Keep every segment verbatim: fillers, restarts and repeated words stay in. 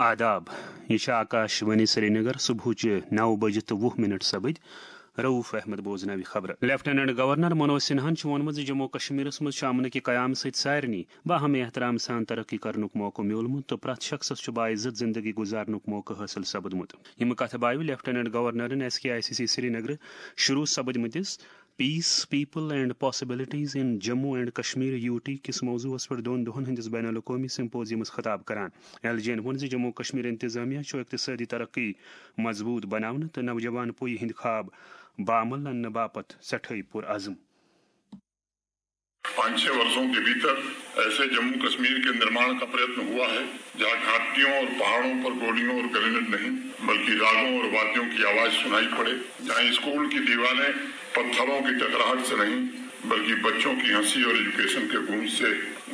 آداب، یہِ چھِ آکاش وانی سرینگر۔ صبحٕچہِ نَو بجہِ تہٕ وُہ منٹ سپٕدۍ۔ رؤف احمد بوزناوِ خبرٕ۔ لیفٹیننٹ گورنر منوج سنہاہن چھُ ووٚنمُت زِ جموں کشمیرس منٛز چھُ امنہٕ کہِ قیام سۭتۍ سارنٕے باہم احترام سان ترقی کرنُک موقعہٕ میوٗلمُت تہٕ پرٛٮ۪تھ شخصس چھُ باعزت زندگی گُزارنُک موقعہٕ حٲصِل سپُدمُت۔ یِم کتھٕ بایوٕ لیفٹیننٹ گورنرن S K I C C سرینگرٕ شروع سپدمٕتِس Peace, People and Possibilities in Jammu and Kashmir, U T کِس موضوعس پٮ۪ٹھ دۄن دۄہن ہٕنٛدِس بین الاقوٲمی سمپوزیمس خطاب کران۔ ایل جی ین ووٚن زِ جموں کشمیر انتظامیہ چھُ اقتصٲدی ترقی مضبوٗط بناونہٕ تہٕ نوجوان پُیہِ ہٕنٛدۍ خواب بعمل اننہٕ باپتھ سٮ۪ٹھٲے پُرعزم۔ پانچ چھ ورسوں کے بھیتر ایسے جموں کشمیر کے نرماݨ کا پریتن ہوا ہے، جہاں گھاٹیوں اور پہاڑوں پر گولیوں اور گرینیڈ نہیں، بلکہ راگوں اور وادیوں کی آواز سنائی پڑے، جہاں اسکول کی دیواریں پتھروں کی ٹکراہٹ سے نہیں، بلکہ بچوں کی ہنسی اور ایجوکیشن کے گونج سے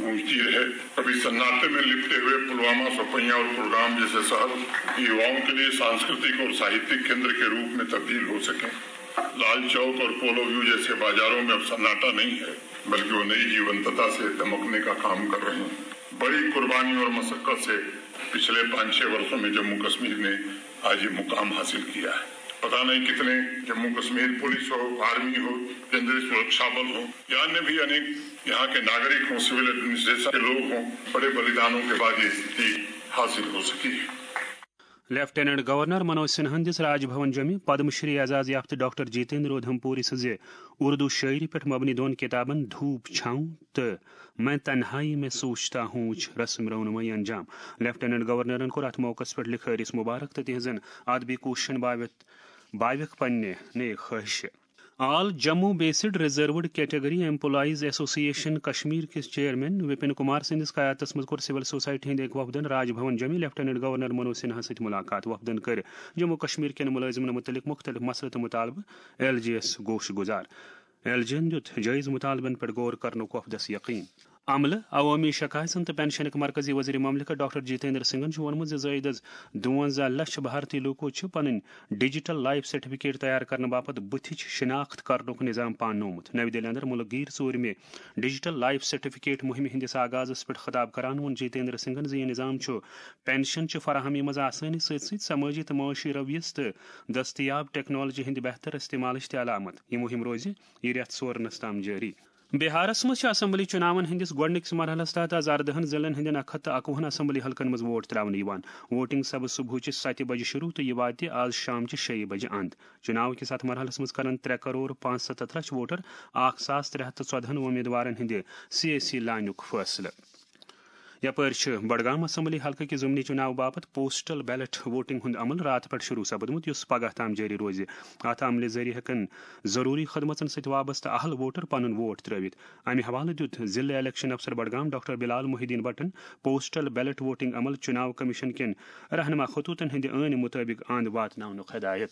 گونجتی رہے۔ کبھی سناٹے میں لپٹے ہوئے پلوامہ، سوپئیاں اور کلگام جیسے شہر یوواؤں کے لیے سانسکرتک اور ساہتک کیندر کے روپ میں تبدیل ہو سکیں۔ لال چوک اور پولو ویو جیسے بازاروں میں اب سناٹا نہیں ہے، بلکہ وہ نئی جیونتتا سے دمکنے کا کام کر رہے ہیں۔ بڑی قربانی اور مشقت سے پچھلے پانچ چھ ورسوں میں جموں کشمیر نے آج یہ مقام حاصل کیا ہے۔ پتہ نہیں کتنے جموں کشمیر پولیس ہو، آرمی ہو، کیندری سرکشا بل ہو، یا انیہ بھی انیک یہاں کے ناگرک ہوں، سول ایڈمنسٹریشن کے لوگ ہوں، بڑے بلیدانوں کے بعد یہ استھتی حاصل ہو سکی ہے۔ لیفٹیننٹ گورنر منوج سنہاہن دِژ راج بھون جوٚمہِ پدم شری اعزاز یافتہٕ ڈاکٹر جیتیندر اودھمپوری سٕنٛزِ اردو شٲعری پٮ۪ٹھ مبنی دۄن کِتابن دھوپ چھاؤں تہٕ میں تنہائی میں سوچتا ہوں وچ رسم رونمٲیی انجام۔ لیفٹیننٹ گورنرن کوٚر اتھ موقعس پٮ۪ٹھ لکھٲرِس مبارک تہٕ تِہنٛزن ادبی کوٗششن باوتھ باوکھ پننہِ نیک خواہشہِ۔ All Jammu based reserved category employees association Kashmir کِس چیئرمین وپن کمار سٕنٛدِس قیادتس منٛز کوٚر سول سوسائٹی ہٕنٛدۍ أکۍ وفدن راج بھون جوٚمہِ لیفٹیننٹ گورنر منوج سنہا سۭتۍ ملاقات۔ وفدن کٔرۍ جموں کشمیر کٮ۪ن مُلٲزمن مُتعلق مُختٔلِف مسلہٕ تہٕ مُطالبہٕ ایل جی یس گوش گُزار۔ ایل جی ین دیُت جٲیزٕ مُطالبن پٮ۪ٹھ غور کرنُک وفدس یقین۔ عملہٕ، عوٲمی شکایژن تہٕ پنشنٕکۍ مرکزی وزیر مملکت ڈاکٹر جیتیندر سنگھن چھُ ووٚنمُت زِ زٲیدٕ از دُوَنزاہ لچھ بھارتی لوٗکو چھِ پنٕنۍ ڈیجیٹل لائف سرٹیفکیٹ تیار کرنہٕ باپتھ بُتھِچ شناخت کرنُک نظام پاننومُت۔ نَوِ دِلہِ اندر مُلک گیٖر ژوٗرمہِ ڈیجیٹل لائف سرٹیفکیٹ مُہِمہِ ہٕنٛدِس آغازس پٮ۪ٹھ خطاب کران ووٚن جیتیندر سنگھن زِ یہِ نظام چھُ پنشن چہِ فراہمی منٛز آسٲنی سۭتۍ سۭتۍ سمٲجی تہٕ معاشی رویس تہٕ دستیاب ٹیکنالوجی ہٕنٛدِ بہتر استعمالٕچ تہِ علامت۔ یہِ مُہِم روزِ یہِ رٮ۪تھ سورنس تام جٲری۔ بہارس منٛز چھِ اسمبلی چُناون ہٕنٛدِس گۄڈٕنِکِس مرحلس تحت از اردہن ضلعن ہٕنٛدٮ۪ن اکھ ہتھ تہٕ اکوُہن اسمبلی حلقن منٛز ووٹ ترٛاونہٕ یِوان۔ ووٹنگ سپٕز صبحٕچہِ ستہِ بجہِ شروع تہٕ یہِ واتہِ از شامچہِ شیٚیہِ بجہِ اند۔ چُناو کِس اتھ مرحلس منٛز کرن ترٛےٚ کرور پانٛژھ ستتھ لچھ ووٹر اکھ ساس ترٛےٚ ہتھ تہٕ ژۄدہن وۄمیدوارن ہٕنٛدِ سیٲسی لانیُک فٲصلہٕ۔ یپٲرۍ چھِ بڈگام اسمبلی حلقہٕ کہِ ضمنی چُناو باپتھ پوسٹل بیلٹ ووٹنگ ہُنٛد عمل راتہٕ پٮ۪ٹھ شروع سپدمُت، یُس پگاہ تام جٲری روزِ۔ اتھ عملہِ ذٔریعہٕ ہٮ۪کن ضروٗری خدمژن سۭتۍ وابستہٕ اہل ووٹر پنُن ووٹ ترٲوِتھ۔ امہِ حوالہٕ دیُت ضلع الیکشن افسر بڈگام ڈاکٹر بلال محی الدین بٹن پوسٹل بیلٹ ووٹنگ عمل چُناو کمیشن کٮ۪ن رہنما خطوطن ہٕنٛدِ ٲنہِ مُطٲبق اند واتناونُک ہدایت۔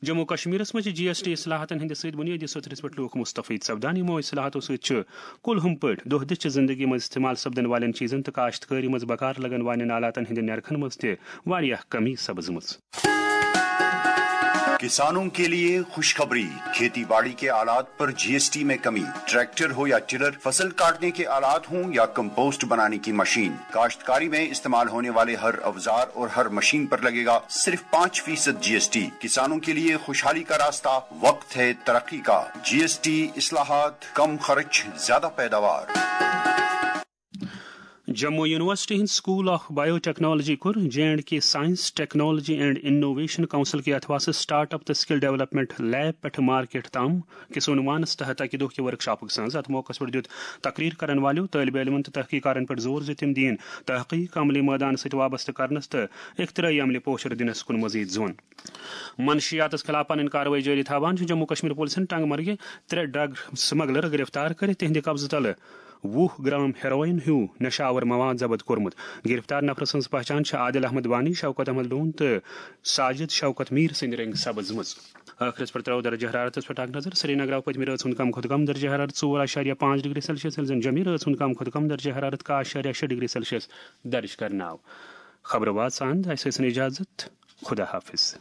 جموں کشمیرس منٛز چھِ جی ایس ٹی اصلاحاتن ہٕنٛدِ سۭتۍ بُنیٲدی سطحس پٮ۪ٹھ لوٗکھ مستفید سپدان۔ یِمو اصلاحاتو سۭتۍ چھُ کُل ہُم پٲٹھۍ دۄہ دِش چہِ زندگی منٛز استعمال سپدن والٮ۪ن چیٖزن تہٕ کاشتکٲری منٛز بکار لگن والٮ۪ن آلاتن ہٕنٛدٮ۪ن نرخن منٛز تہِ واریاہ کمی سپٕزمٕژ۔ کسانوں کے لیے خوشخبری، کھیتی باڑی کے آلات پر جی ایس ٹی میں کمی، ٹریکٹر ہو یا ٹلر، فصل کاٹنے کے آلات ہوں یا کمپوسٹ بنانے کی مشین، کاشتکاری میں استعمال ہونے والے ہر اوزار اور ہر مشین پر لگے گا صرف پانچ فیصد جی ایس ٹی۔ کسانوں کے لیے خوشحالی کا راستہ، وقت ہے ترقی کا۔ جی ایس ٹی اصلاحات، کم خرچ، زیادہ پیداوار۔ جموں یونیورسٹی ہٕنٛدِ سکول آف بایو ٹیکنالوجی کوٚر J and K science, technology and innovation council کہِ اتھواسہٕ سٹارٹ اپ تہٕ سکل ڈیولپمنٹ لیب پٮ۪ٹھٕ مارکیٹ تام کِس عنوانس تحت اکہِ دۄہ کہِ ورکشاپُک سنز۔ اتھ موقعس پٮ۪ٹھ دیُت تقریر کرن والٮ۪و طٲلبِ علمن تہٕ تحقیقارن پٮ۪ٹھ زور زِ تِم دِیِن تحقیق عملی مٲدانس سۭتۍ وابستہٕ کرنس تہٕ اختراعی عملہِ پوچھر دِنس کُن مزید زون۔ منشیاتس خلاف پنٕنۍ کاروٲیی جٲری تھاوان چھُ جموں کشمیر پُلسن ٹنگ مرگہِ ترٛےٚ ڈرگ سمگلر گرفتار کٔرِتھ تِہنٛدِ قبضہٕ تلہٕ وُہ گرام ہیروئن ہیوٗ نشہ آور مواد ضبط کوٚرمُت۔ گرفتار نفرٕ سٕنٛز پہچان چھِ عادل احمد وانی، شوکت احمد لون تہٕ ساجد شوکت میر سٕنٛدِ رنگہٕ سپٕزمٕژ۔ ٲخرس پٮ۪ٹھ ترٛاوو درجہ حرارتس پٮ۪ٹھ اکھ نظر۔ سرینگرٕ پتمہِ رٲژ ہُنٛد کم کھۄتہٕ کم درجہ حرارت ژور اعشاریہ پانٛژھ ڈگری سیلسیس، ییٚلہِ زن جوٚمہِ رٲژ ہُنٛد کم کھۄتہٕ کم درجہ حرارت کاہ اعشاریہ شےٚ ڈگری سیلسیس درج کرنہٕ آو۔ خبرٕ واتس اند، اسہِ ٲسِن اجازت۔ خدا حافظ۔